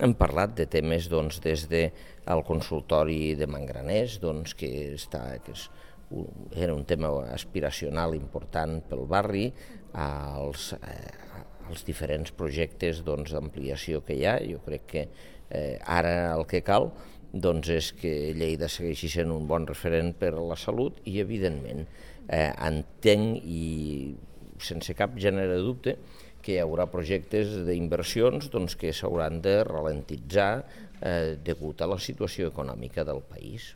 Hem parlat de temes des del consultori de Mangraners, que era un tema aspiracional important pel barri, als diferents projectes d'ampliació que hi ha. Jo crec que ara el que cal és que Lleida segueixi sent un bon referent per a la salut i, evidentment, entenc i sense cap gènere de dubte que hi haurà projectes d'inversions que s'hauran de ralentitzar degut a la situació econòmica del país.